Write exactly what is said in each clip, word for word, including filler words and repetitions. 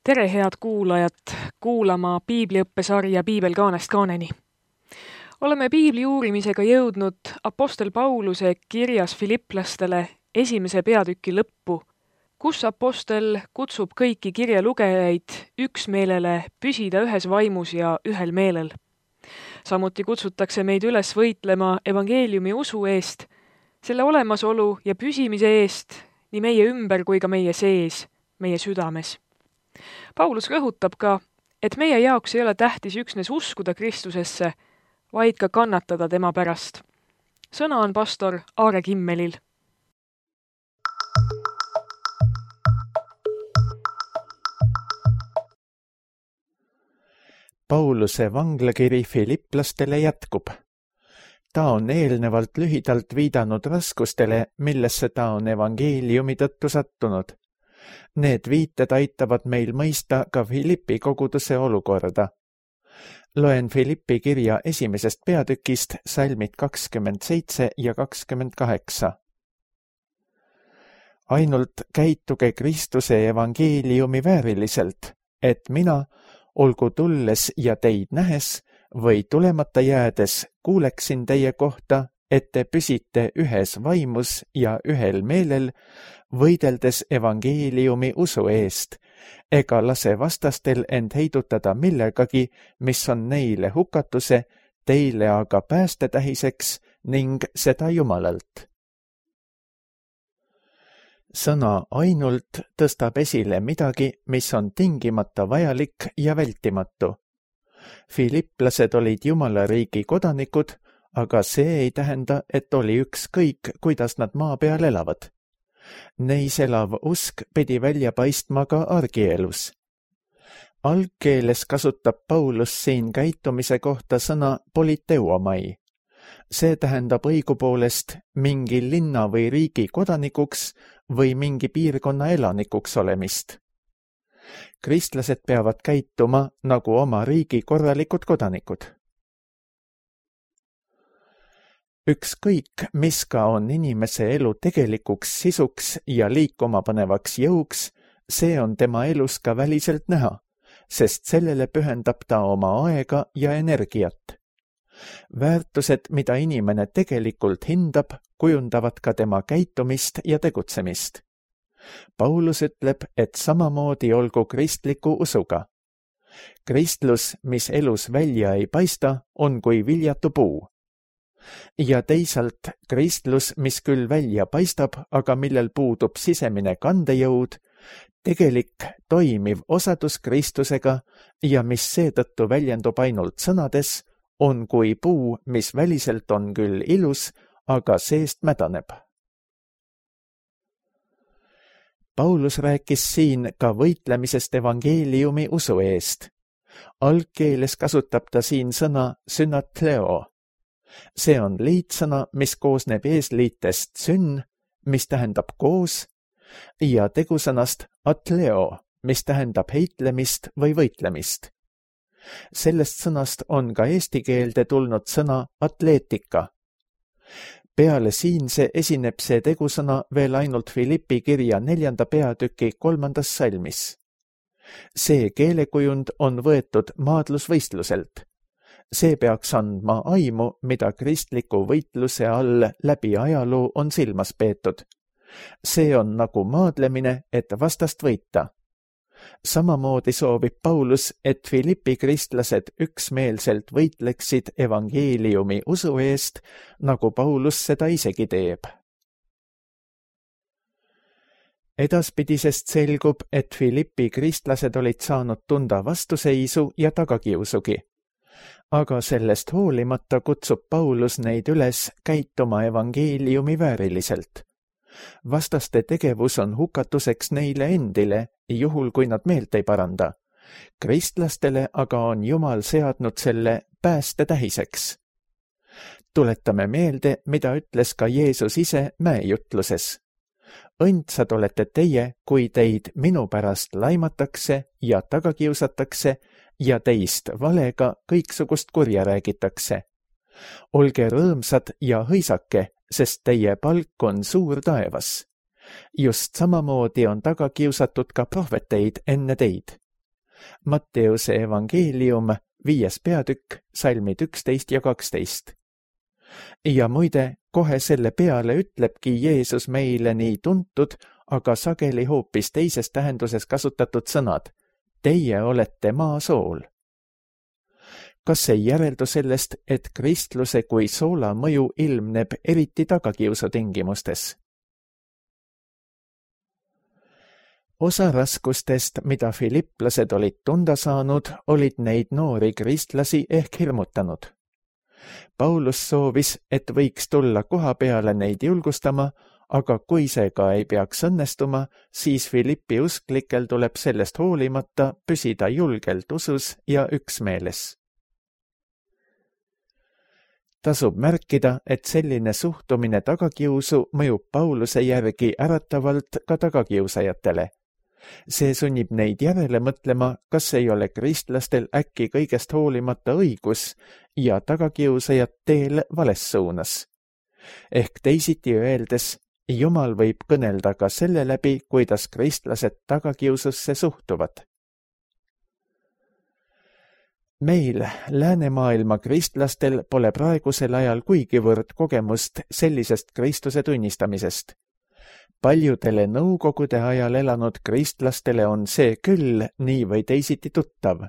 Tere, head kuulajad, kuulama piibliõppesarja Piibel kaanest kaaneni. Oleme piibli uurimisega jõudnud apostel Pauluse kirjas Filipplastele esimese peatüki lõppu, kus apostel kutsub kõiki kirja lugejaid üksmeelele püsida ühes vaimus ja ühel meelel. Samuti kutsutakse meid üles võitlema evangeeliumi usu eest, selle olemasolu ja püsimise eest nii meie ümber kui ka meie sees, meie südames. Paulus rõhutab ka, et meie jaoks ei ole tähtis üksnes uskuda Kristusesse, vaid ka kannatada tema pärast. Sõna on pastor Aare Kimmelil. Pauluse vanglakiri Filipplastele jätkub. Ta on eelnevalt lühidalt viidanud raskustele, millesse ta on evangeeliumi tõttu sattunud. Need viited aitavad meil mõista ka Filippi koguduse olukorda. Loen Filippi kirja esimesest peatükist salmid kakskümmend seitse ja kakskümmend kaheksa. Ainult käituge Kristuse evangeeliumi vääriliselt, et mina, olgu tulles ja teid nähes või tulemata jäädes, kuuleksin teie kohta, et te püsite ühes vaimus ja ühel meelel, võideldes evangeeliumi usu eest, ega lase vastastel end heidutada millegagi, mis on neile hukatuse, teile aga päästetähiseks ning seda Jumalalt. Sõna ainult tõstab esile midagi, mis on tingimata vajalik ja vältimatu. Filipplased olid Jumala riigi kodanikud, aga see ei tähenda, et oli ükskõik, kuidas nad maa peal elavad. Neis elav usk pidi välja paistma ka argielus. Algkeeles kasutab Paulus siin käitumise kohta sõna politeuomai. See tähendab õigupoolest mingi linna või riigi kodanikuks või mingi piirkonna elanikuks olemist. Kristlased peavad käituma nagu oma riigi korralikud kodanikud. Ükskõik, mis ka on inimese elu tegelikuks sisuks ja liikuma panevaks jõuks, see on tema elus ka väliselt näha, sest sellele pühendab ta oma aega ja energiat. Väärtused, mida inimene tegelikult hindab, kujundavad ka tema käitumist ja tegutsemist. Paulus ütleb, et samamoodi olgu kristliku usuga. Kristlus, mis elus välja ei paista, on kui viljatu puu. Ja teisalt kristlus, mis küll välja paistab, aga millel puudub sisemine kandejõud, tegelik toimiv osadus Kristusega ja mis seetõttu väljendub ainult sõnades, on kui puu, mis väliselt on küll ilus, aga seest mädaneb. Paulus rääkis siin ka võitlemisest evangeeliumi usu eest. Algkeeles kasutab ta siin sõna synatleo. See on liitsõna, mis koosneb eesliitest syn, mis tähendab koos, ja tegusõnast atleo, mis tähendab heitlemist või võitlemist. Sellest sõnast on ka eesti keelde tulnud sõna atleetika. Peale siinse esineb see tegusõna veel ainult Filippi kirja neljanda peatüki kolmandas salmis. See keelekujund on võetud maadlusvõistluselt. See peaks andma aimu, mida kristliku võitluse all läbi ajaloo on silmas peetud. See on nagu maadlemine, et vastast võita. Samamoodi soovib Paulus, et Filippi kristlased üksmeelselt võitleksid evangeeliumi usu eest, nagu Paulus seda isegi teeb. Edaspidisest selgub, et Filippi kristlased olid saanud tunda vastuseisu ja tagakiusugi. Aga sellest hoolimata kutsub Paulus neid üles käituma evangeeliumi vääriliselt. Vastaste tegevus on hukatuseks neile endile, juhul kui nad meelt ei paranda. Kristlastele aga on Jumal seadnud selle päästetähiseks. Tuletame meelde, mida ütles ka Jeesus ise mäejutluses. Õndsad olete teie, kui teid minu pärast laimatakse ja tagakiusatakse ja teist valega kõiksugust kurja räägitakse. Olge rõõmsad ja hõisake, sest teie palk on suur taevas. Just samamoodi on taga kiusatud ka prohveteid enne teid. Matteuse evangeelium, viies peatükk, salmid üksteist ja kaksteist. Ja muide, kohe selle peale ütlebki Jeesus meile nii tuntud, aga sageli hoopis teises tähenduses kasutatud sõnad. Teie olete maasool. Kas ei järeldu sellest, et kristluse kui soola mõju ilmneb eriti tagakiusu tingimustes? Osa raskustest, mida filipplased olid tunda saanud, olid neid noori kristlasi ehk hirmutanud. Paulus soovis, et võiks tulla koha peale neid julgustama, aga kui see ka ei peaks õnnestuma, siis Filippi usklikel tuleb sellest hoolimata püsida julgelt usus ja üksmeeles. Tasub märkida, et selline suhtumine tagakiusu mõjub Pauluse järgi äratavalt ka tagakiusajatele. See sunnib neid järele mõtlema, kas ei ole kristlastel äkki kõigest hoolimata õigus ja tagakiusajad teel vales suunas. Ehk teisiti öeldes, Jumal võib kõnelda ka selle läbi, kuidas kristlased tagakiususse suhtuvad. Meil, läänemaailma kristlastel, pole praegusel ajal kuigivõrd kogemust sellisest Kristuse tunnistamisest. Paljudele nõukogude ajal elanud kristlastele on see küll nii või teisiti tuttav.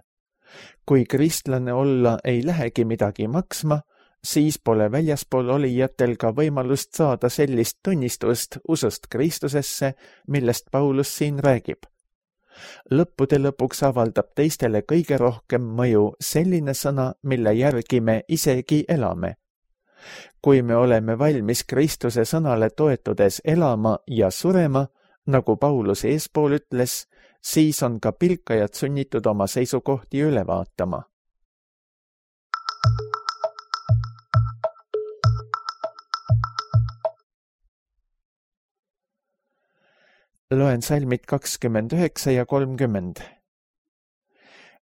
Kui kristlane olla ei lähegi midagi maksma, siis pole väljaspool olijatel ka võimalust saada sellist tunnistust usust Kristusesse, millest Paulus siin räägib. Lõppude lõpuks avaldab teistele kõige rohkem mõju selline sõna, mille järgi me isegi elame. Kui me oleme valmis Kristuse sõnale toetudes elama ja surema, nagu Paulus eespool ütles, siis on ka pilkajad sunnitud oma seisukohti üle vaatama. Loen salmid kakskümmend üheksa ja kolmkümmend.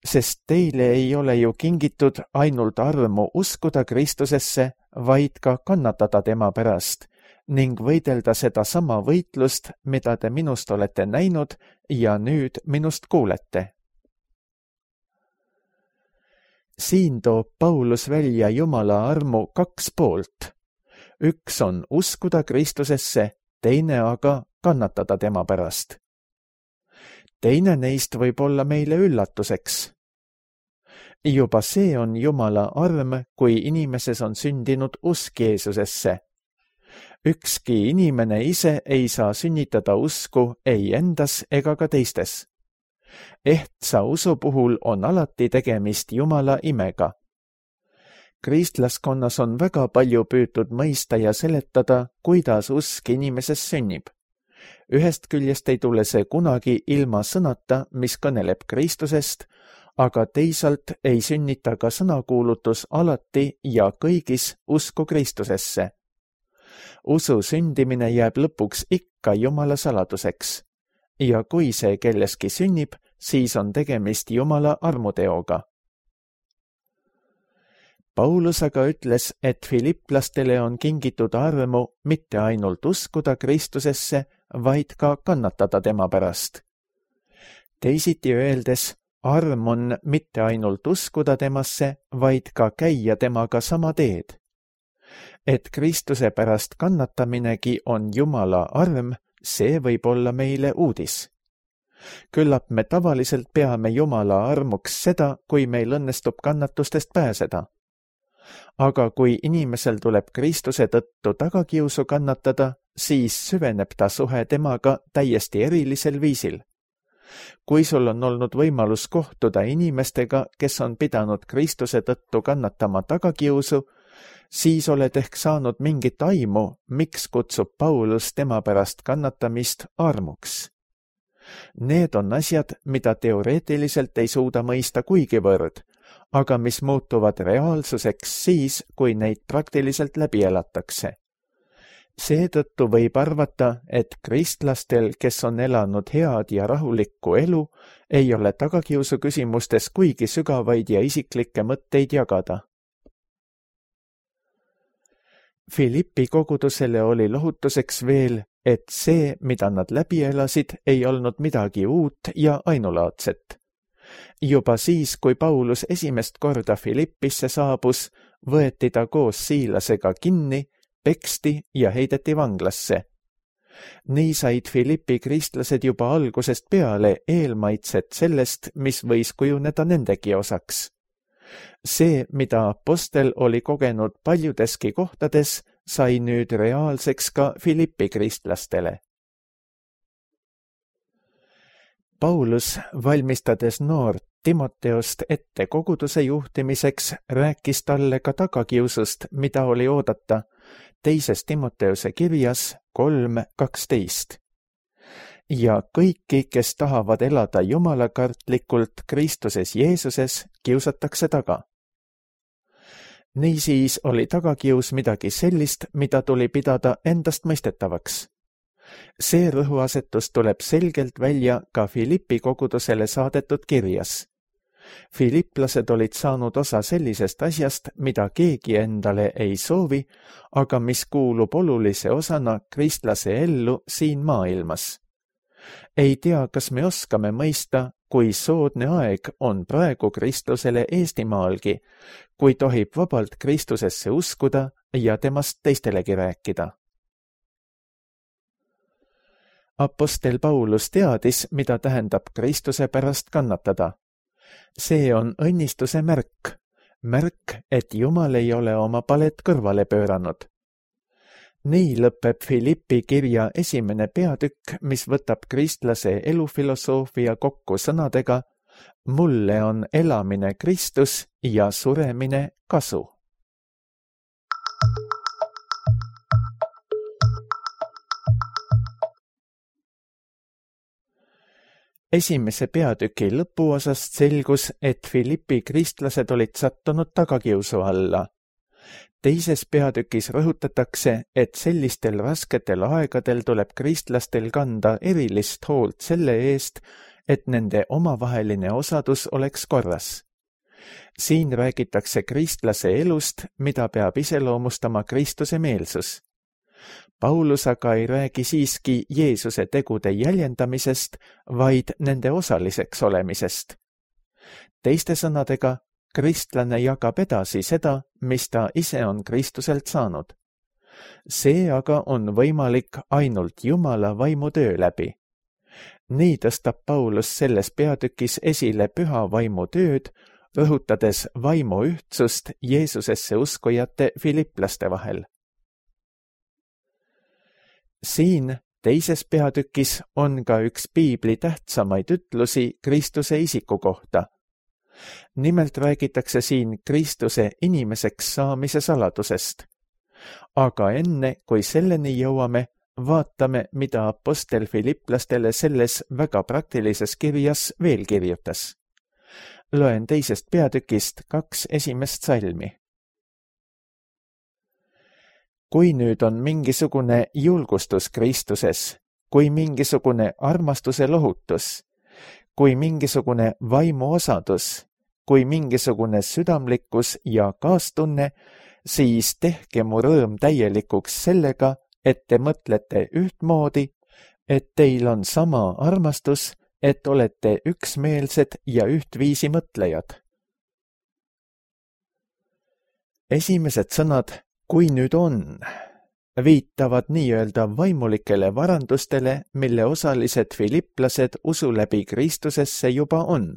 Sest teile ei ole ju kingitud ainult armu uskuda Kristusesse, vaid ka kannatada tema pärast ning võidelda seda sama võitlust, mida te minust olete näinud ja nüüd minust kuulete. Siin toob Paulus välja Jumala armu kaks poolt. Üks on uskuda Kristusesse, teine aga kannatada tema pärast. Teine neist võib olla meile üllatuseks. Juba see on Jumala arm, kui inimeses on sündinud usk Jeesusesse. Ükski inimene ise ei saa sünnitada usku ei endas ega ka teistes. Ehtsa usu puhul on alati tegemist Jumala imega. Kristlaskonnas on väga palju püütud mõista ja seletada, kuidas usk inimeses sünnib. Ühest küljest ei tule see kunagi ilma sõnata, mis kõneleb Kristusest, aga teisalt ei sünnita ka sõnakuulutus alati ja kõigis usku Kristusesse. Usu sündimine jääb lõpuks ikka Jumala saladuseks. Ja kui see kelleski sünnib, siis on tegemist Jumala armuteoga. Paulus aga ütles, et filipplastele on kingitud armu mitte ainult uskuda Kristusesse, vaid ka kannatada tema pärast. Teisiti öeldes, arm on mitte ainult uskuda temasse, vaid ka käia temaga sama teed. Et Kristuse pärast kannataminegi on Jumala arm, see võib olla meile uudis. Küllap me tavaliselt peame Jumala armuks seda, kui meil õnnestub kannatustest pääseda. Aga kui inimesel tuleb Kristuse tõttu tagakiusu kannatada, siis süveneb ta suhe temaga täiesti erilisel viisil. Kui sul on olnud võimalus kohtuda inimestega, kes on pidanud Kristuse tõttu kannatama tagakiusu, siis oled ehk saanud mingit aimu, miks kutsub Paulus tema pärast kannatamist armuks. Need on asjad, mida teoreetiliselt ei suuda mõista kuigivõrd, aga mis muutuvad reaalsuseks siis, kui neid praktiliselt läbi elatakse. Seetõttu võib arvata, et kristlastel, kes on elanud head ja rahulikku elu, ei ole tagakiusu küsimustes kuigi sügavaid ja isiklikke mõtteid jagada. Filippi kogudusele oli lohutuseks veel, et see, mida nad läbi elasid, ei olnud midagi uut ja ainulaadset. Juba siis, kui Paulus esimest korda Filippisse saabus, võeti ta koos Siilasega kinni, peksti ja heideti vanglasse. Nii said Filippi kristlased juba algusest peale eelmaitset sellest, mis võis kujuneda nendegi osaks. See, mida apostel oli kogenud paljudeski kohtades, sai nüüd reaalseks ka Filippi kristlastele. Paulus, valmistades noort Timoteost ette koguduse juhtimiseks, rääkis talle ka tagakiusust, mida oli oodata, teises Timoteose kirjas kolm kaksteist. Ja kõiki, kes tahavad elada jumalakartlikult Kristuses Jeesuses, kiusatakse taga. Niisiis oli tagakius midagi sellist, mida tuli pidada endast mõistetavaks. See rõhuasetus tuleb selgelt välja ka Filippi kogudusele saadetud kirjas. Filiplased olid saanud osa sellisest asjast, mida keegi endale ei soovi, aga mis kuulub olulise osana kristlase ellu siin maailmas. Ei tea, kas me oskame mõista, kui soodne aeg on praegu Kristlusele Eestimaalgi, kui tohib vabalt Kristusesse uskuda ja temast teistelegi rääkida. Apostel Paulus teadis, mida tähendab Kristuse pärast kannatada. See on õnnistuse märk, märk, et Jumal ei ole oma palet kõrvale pööranud. Nii lõpeb Filippi kirja esimene peatükk, mis võtab kristlase elufilosoofia kokku sõnadega: mulle on elamine Kristus ja suremine kasu. Esimese peatüki lõpuosast selgus, et Filippi kristlased olid sattunud tagakiusu alla. Teises peatükis rõhutatakse, et sellistel rasketel aegadel tuleb kristlastel kanda erilist hoolt selle eest, et nende omavaheline osadus oleks korras. Siin räägitakse kristlase elust, mida peab iseloomustama Kristuse meelsus. Paulus aga ei räägi siiski Jeesuse tegude jäljendamisest, vaid nende osaliseks olemisest. Teiste sõnadega, kristlane jagab edasi seda, mis ta ise on Kristuselt saanud. See aga on võimalik ainult Jumala vaimutöö läbi. Nii tõstab Paulus selles peatükis esile püha vaimu tööd, rõhutades vaimu ühtsust Jeesusesse uskujate filiplaste vahel. Siin teises peatükis on ka üks piibli tähtsamaid ütlusi Kristuse isiku kohta. Nimelt räägitakse siin Kristuse inimeseks saamise saladusest. Aga enne, kui selleni jõuame, vaatame, mida apostel filiplastele selles väga praktilises kirjas veel kirjutas. Loen teisest peatükist kaks esimest salmi. Kui nüüd on mingisugune julgustus Kristuses, kui mingisugune armastuse lohutus, kui mingisugune vaimu osadus, kui mingisugune südamlikkus ja kaastunne, siis tehke mu rõõm täielikuks sellega, et te mõtlete ühtmoodi, et teil on sama armastus, et olete üksmeelsed ja ühtviisi mõtlejad. Esimesed sõnad kui nüüd on, viitavad nii-öelda vaimulikele varandustele, mille osalised filiplased usu läbi Kristusesse juba on.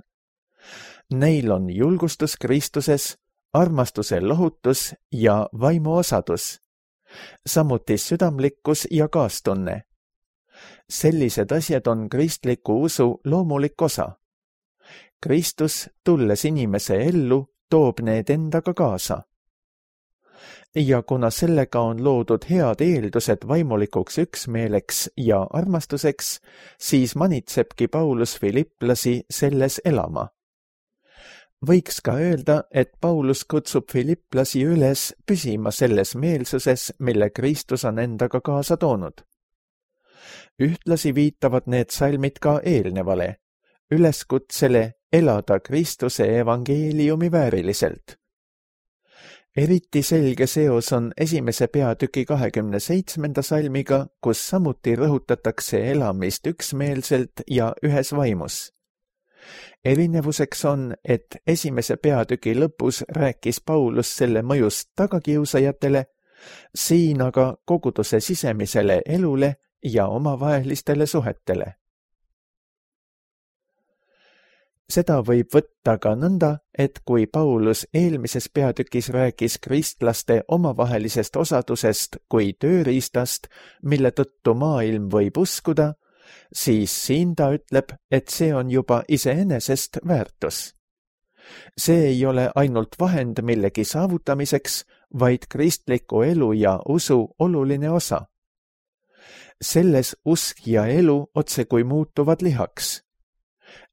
Neil on julgustus Kristuses, armastuse lohutus ja vaimu osadus, samuti südamlikkus ja kaastunne. Sellised asjad on kristliku usu loomulik osa. Kristus, tulles inimese ellu, toob need endaga kaasa. Ja kuna sellega on loodud head eeldused vaimulikuks üksmeeleks ja armastuseks, siis manitsebki Paulus filiplasi selles elama. Võiks ka öelda, et Paulus kutsub filiplasi üles püsima selles meelsuses, mille Kristus on endaga kaasa toonud. Ühtlasi viitavad need salmid ka eelnevale, üleskutsele elada Kristuse evangeeliumi vääriliselt. Eriti selge seos on esimese peatüki kahekümne seitsmenda salmiga, kus samuti rõhutatakse elamist üksmeelselt ja ühes vaimus. Erinevuseks on, et esimese peatüki lõpus rääkis Paulus selle mõjust tagakiusajatele, siin aga koguduse sisemisele elule ja omavahelistele suhetele. Seda võib võtta ka nõnda, et kui Paulus eelmises peatükis rääkis kristlaste omavahelisest osadusest kui tööriistast, mille tõttu maailm võib uskuda, siis siin ta ütleb, et see on juba iseenesest väärtus. See ei ole ainult vahend millegi saavutamiseks, vaid kristliku elu ja usu oluline osa. Selles usk ja elu otsekui muutuvad lihaks.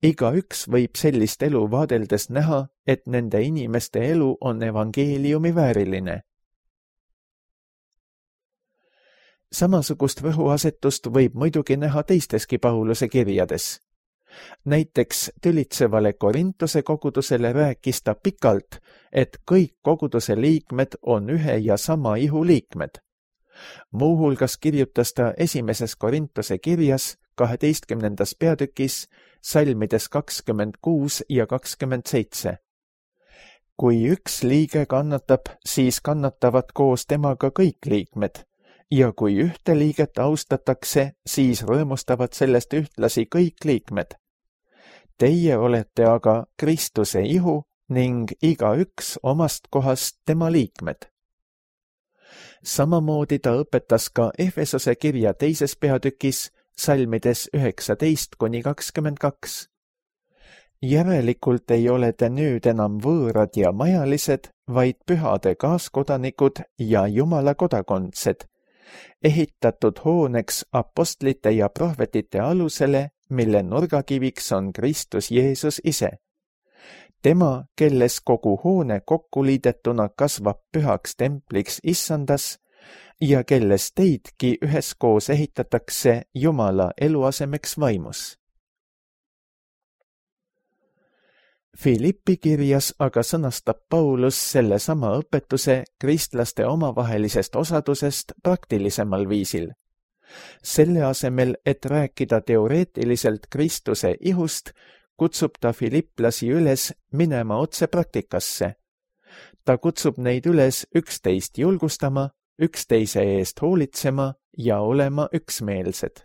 Igaüks võib sellist elu vaadeldes näha, et nende inimeste elu on evangeeliumi vääriline. Samasugust rõhuasetust võib muidugi näha teisteski Pauluse kirjades. Näiteks tülitsevale Korintuse kogudusele rääkis ta pikalt, et kõik koguduse liikmed on ühe ja sama ihu liikmed. Muuhulgas kirjutas ta esimeses Korintuse kirjas kaheteistkümnendas peatükis salmides kakskümmend kuus ja kakskümmend seitse. Kui üks liige kannatab, siis kannatavad koos temaga kõik liikmed, ja kui ühte liiget austatakse, siis rõõmustavad sellest ühtlasi kõik liikmed. Teie olete aga Kristuse ihu ning igaüks omast kohast tema liikmed. Samamoodi ta õpetas ka Efesose kirja teises peatükis salmides üheksateist kuni kakskümmend kaks. Järelikult ei ole te nüüd enam võõrad ja majalised, vaid pühade kaaskodanikud ja Jumala kodakondsed, ehitatud hooneks apostlite ja prohvetite alusele, mille nurgakiviks on Kristus Jeesus ise. Tema, kelles kogu hoone kokku liidetuna kasvab pühaks templiks issandas ja kelles teidki üheskoos ehitatakse Jumala eluasemeks vaimus. Filippi kirjas aga sõnastab Paulus selle sama õpetuse kristlaste omavahelisest osadusest praktilisemal viisil. Selle asemel, et rääkida teoreetiliselt Kristuse ihust, kutsub ta filiplasi üles minema otse praktikasse. Ta kutsub neid üles üksteist julgustama, üksteise eest hoolitsema ja olema üksmeelsed.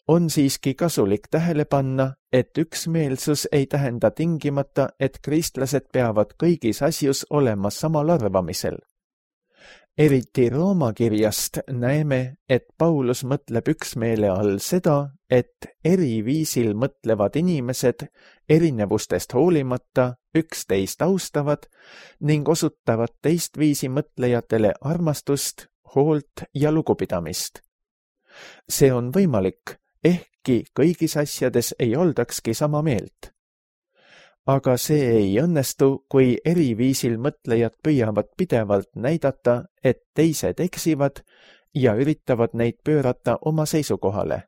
On siiski kasulik tähele panna, et üksmeelsus ei tähenda tingimata, et kristlased peavad kõigis asjus olema samal arvamisel. Eriti Rooma kirjast näeme, et Paulus mõtleb üksmeele all seda, et eri viisil mõtlevad inimesed erinevustest hoolimata üksteist austavad ning osutavad teistviisi mõtlejatele armastust, hoolt ja lugupidamist. See on võimalik, ehkki kõigis asjades ei oldakski sama meelt. Aga see ei õnnestu, kui eri viisil mõtlejad püüavad pidevalt näidata, et teised eksivad ja üritavad neid pöörata oma seisukohale.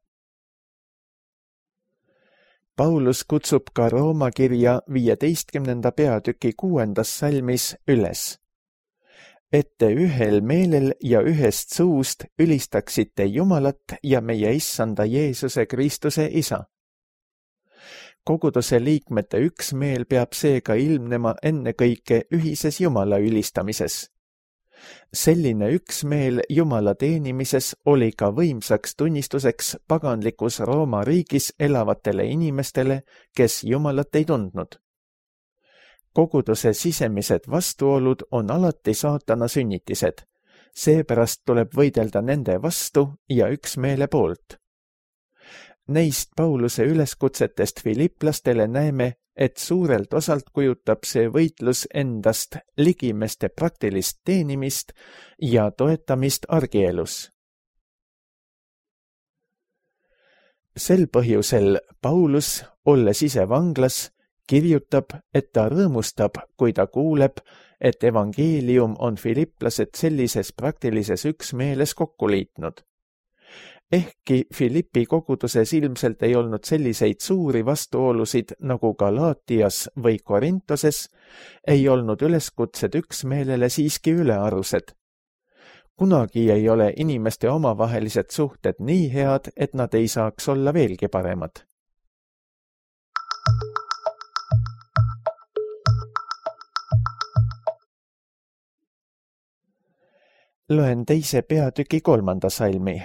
Paulus kutsub ka Rooma kirja viieteistkümnenda peatüki kuuendas salmis üles. Et te ühel meelel ja ühest suust ülistaksite Jumalat ja meie issanda Jeesuse Kristuse isa. Koguduse liikmete üksmeel peab seega ilmnema ennekõike ühises Jumala ülistamises. Selline üksmeel Jumala teenimises oli ka võimsaks tunnistuseks paganlikus Rooma riigis elavatele inimestele, kes Jumalat ei tundnud. Koguduse sisemised vastuolud on alati saatana sünnitised, seepärast tuleb võidelda nende vastu ja üksmeele poolt. Neist Pauluse üleskutsetest filiplastele näeme, et suurelt osalt kujutab see võitlus endast ligimeste praktilist teenimist ja toetamist argielus. Sel põhjusel Paulus, olles ise vanglas, kirjutab, et ta rõõmustab, kui ta kuuleb, et evangeelium on filiplased sellises praktilises üksmeeles kokku liitnud. Ehkki Filippi koguduses ilmselt ei olnud selliseid suuri vastuolusid nagu Galaatias või Korintoses, ei olnud üleskutsed üksmeelele siiski ülearused. Kunagi ei ole inimeste omavahelised suhted nii head, et nad ei saaks olla veelgi paremad. Loen teise peatüki kolmanda salmi.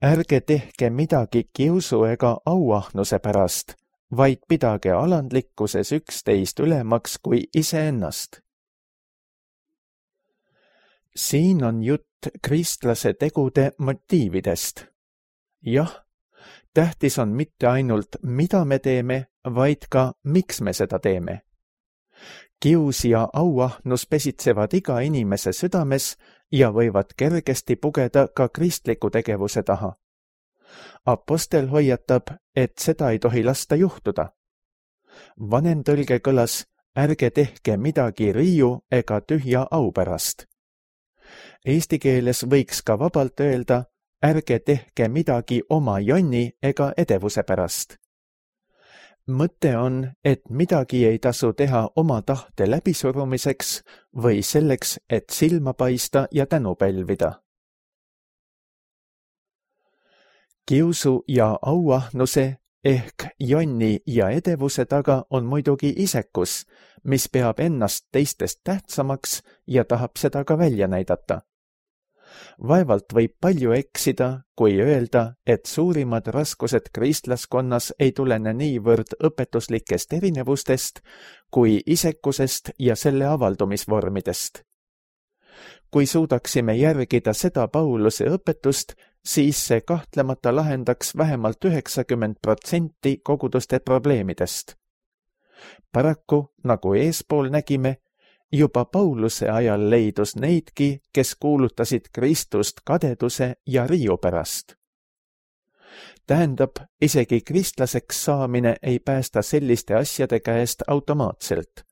Ärge tehke midagi kiusu ega auahnuse pärast, vaid pidage alandlikkuses üksteist ülemaks kui iseennast. Siin on jutt kristlase tegude motiividest. Jah, tähtis on mitte ainult, mida me teeme, vaid ka, miks me seda teeme. Kius ja auahnus pesitsevad iga inimese südames ja võivad kergesti pugeda ka kristliku tegevuse taha. Apostel hoiatab, et seda ei tohi lasta juhtuda. Vanem tõlge kõlas, ärge tehke midagi riiu ega tühja au pärast. Eesti keeles võiks ka vabalt öelda, ärge tehke midagi oma jonni ega edevuse pärast. Mõte on, et midagi ei tasu teha oma tahte läbisurumiseks või selleks, et silma paista ja tänu pälvida. Kiusu ja auahnuse ehk jonni ja edevuse taga on muidugi isekus, mis peab ennast teistest tähtsamaks ja tahab seda ka välja näidata. Vaevalt võib palju eksida, kui öelda, et suurimad raskused kristlaskonnas ei tulene niivõrd õpetuslikest erinevustest kui isekusest ja selle avaldumisvormidest. Kui suudaksime järgida seda Pauluse õpetust, siis see kahtlemata lahendaks vähemalt üheksakümmend protsenti koguduste probleemidest. Paraku, nagu eespool nägime, juba Pauluse ajal leidus neidki, kes kuulutasid Kristust kadeduse ja riiu pärast. Tähendab, isegi kristlaseks saamine ei päästa selliste asjade käest automaatselt.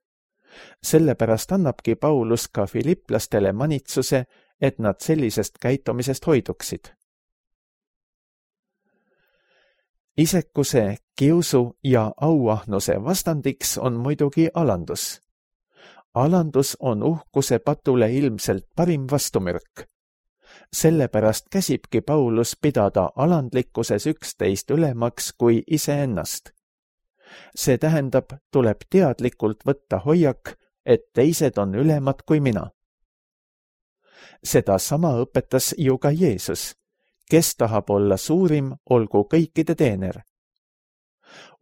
Sellepärast annabki Paulus ka filiplastele manitsuse, et nad sellisest käitumisest hoiduksid. Isekuse, kiusu ja auahnuse vastandiks on muidugi alandus. Alandus on uhkuse patule ilmselt parim vastumürk. Sellepärast käsibki Paulus pidada alandlikkuses üksteist ülemaks kui iseennast. See tähendab, tuleb teadlikult võtta hoiak, et teised on ülemad kui mina. Seda sama õpetas ju ka Jeesus, kes tahab olla suurim, olgu kõikide teener.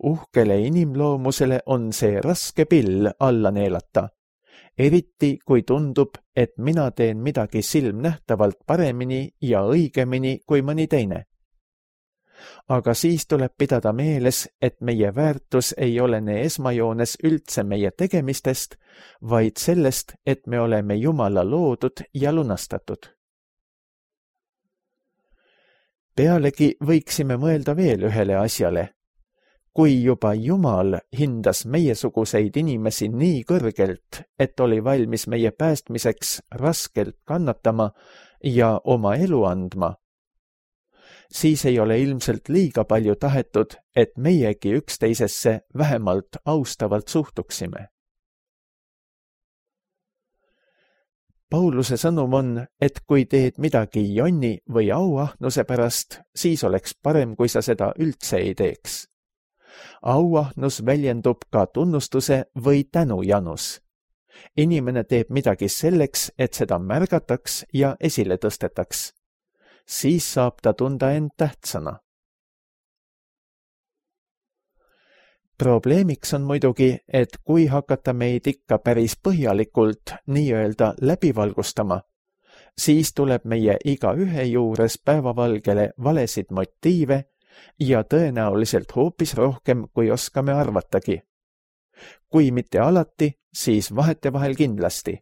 Uhkele inimloomusele on see raske pill alla neelata. Eriti, kui tundub, et mina teen midagi silmnähtavalt paremini ja õigemini kui mõni teine. Aga siis tuleb pidada meeles, et meie väärtus ei olene esmajoones üldse meie tegemistest, vaid sellest, et me oleme Jumala loodud ja lunastatud. Pealegi võiksime mõelda veel ühele asjale. Kui juba Jumal hindas meiesuguseid inimesi nii kõrgelt, et oli valmis meie päästmiseks raskelt kannatama ja oma elu andma, siis ei ole ilmselt liiga palju tahetud, et meiegi üksteisesse vähemalt austavalt suhtuksime. Pauluse sõnum on, et kui teed midagi jonni või auahnuse pärast, siis oleks parem, kui sa seda üldse ei teeks. Auahnus väljendub ka tunnustuse või tänujanus. Inimene teeb midagi selleks, et seda märgataks ja esile tõstetaks. Siis saab ta tunda end tähtsana. Probleemiks on muidugi, et kui hakata meid ikka päris põhjalikult nii-öelda läbivalgustama, siis tuleb meie igaühe juures päevavalgele valesid motiive ja tõenäoliselt hoopis rohkem, kui oskame arvatagi. Kui mitte alati, siis vahetevahel kindlasti.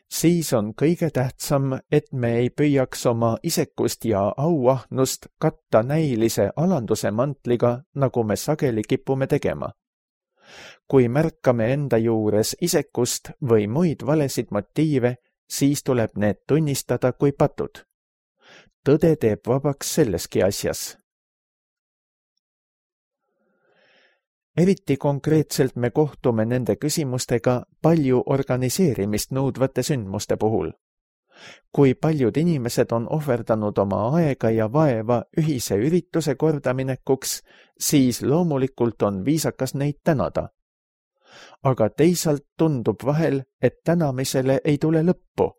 Siis on kõige tähtsam, et me ei püüaks oma isekust ja auahnust katta näilise alanduse mantliga, nagu me sageli kipume tegema. Kui märkame enda juures isekust või muid valesid motiive, siis tuleb need tunnistada kui patud. Tõde teeb vabaks selleski asjas. Eriti konkreetselt me kohtume nende küsimustega palju organiseerimist nõudvate sündmuste puhul. Kui paljud inimesed on ohverdanud oma aega ja vaeva ühise ürituse kordaminekuks, siis loomulikult on viisakas neid tänada. aga teisalt tundub vahel, et tänamisele ei tule lõppu.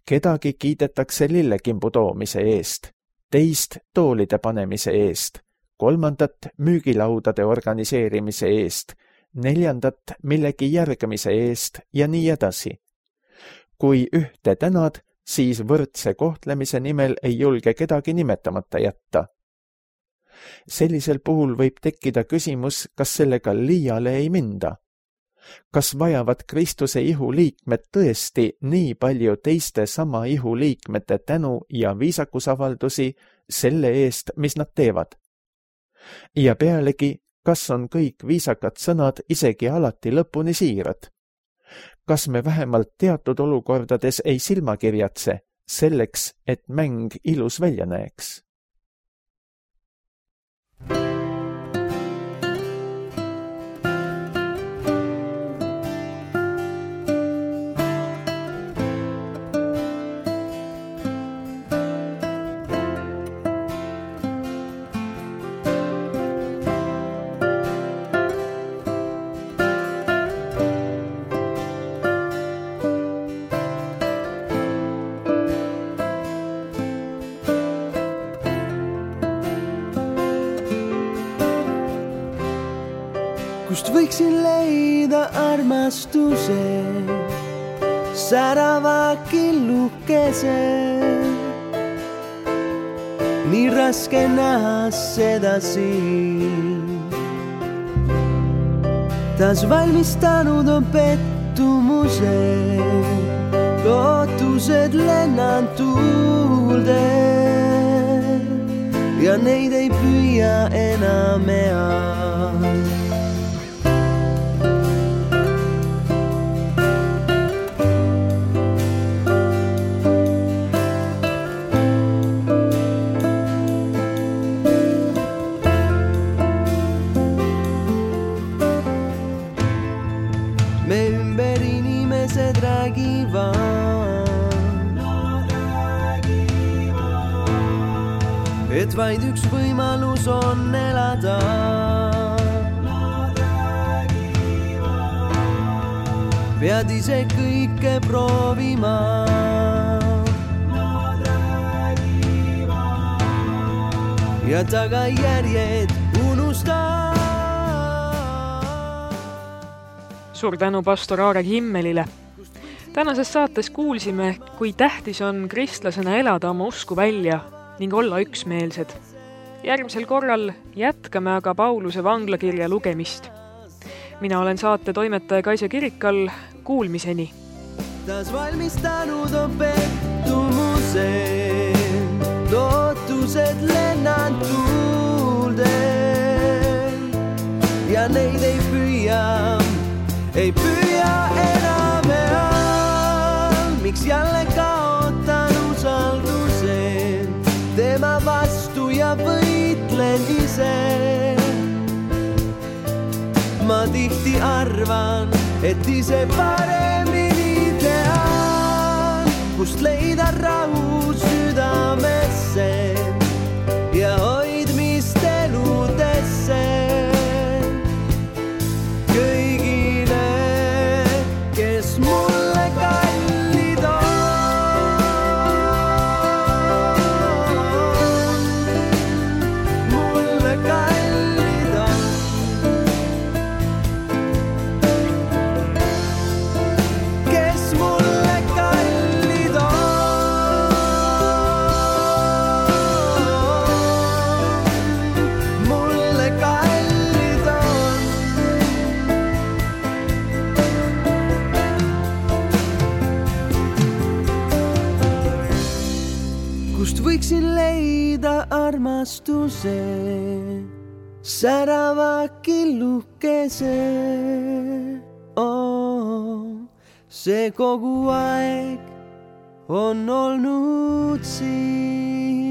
Kedagi kiidetakse lillekimbu toomise eest, teist toolide panemise eest, kolmandat müügilaudade organiseerimise eest, neljandat millegi järgimise eest ja nii edasi. Kui ühte tänad, siis võrdse kohtlemise nimel ei julge kedagi nimetamata jätta. Sellisel puhul võib tekkida küsimus, kas sellega liiale ei minda. Kas vajavad Kristuse ihu liikmed tõesti nii palju teiste sama ihu liikmete tänu ja viisakusavaldusi selle eest, mis nad teevad? Ja pealegi, kas on kõik viisakad sõnad isegi alati lõpuni siirad? Kas me vähemalt teatud olukordades ei silmakirjatse selleks, et mäng ilus välja näeks? Kust võiksin leida armastuse, särava killukese. Nii raske näha seda siin. Taas valmistanud on pettumuse, lootused lennan tuulde ja neid ei püüa enam ea. Me ümber inimesed räägivad, et vaid üks võimalus on elada. Pead ise kõike proovima. Ja tagajärjed unusta. Suur tänu pastor Aarek Himmelile. Tänases saates kuulsime, kui tähtis on kristlasena elada oma usku välja ning olla üksmeelsed. Järgmisel korral jätkame aga Pauluse vanglakirja lugemist. Mina olen saate toimetaja Kaisa Kirikal, kuulmiseni. Taas valmistanud on pettumuse, lootused lennan tuulde ja neid ei püüa. Ei püüa enam enam, miks jälle kaotan usalduse tema vastu ja võitlen ise. Ma tihti arvan, et ise paremini tean, kust leida rahu südamesse ja hoidmist eludesse. Võiksin leida armastuse, särava killukese. Oh, see kogu aeg on olnud siin.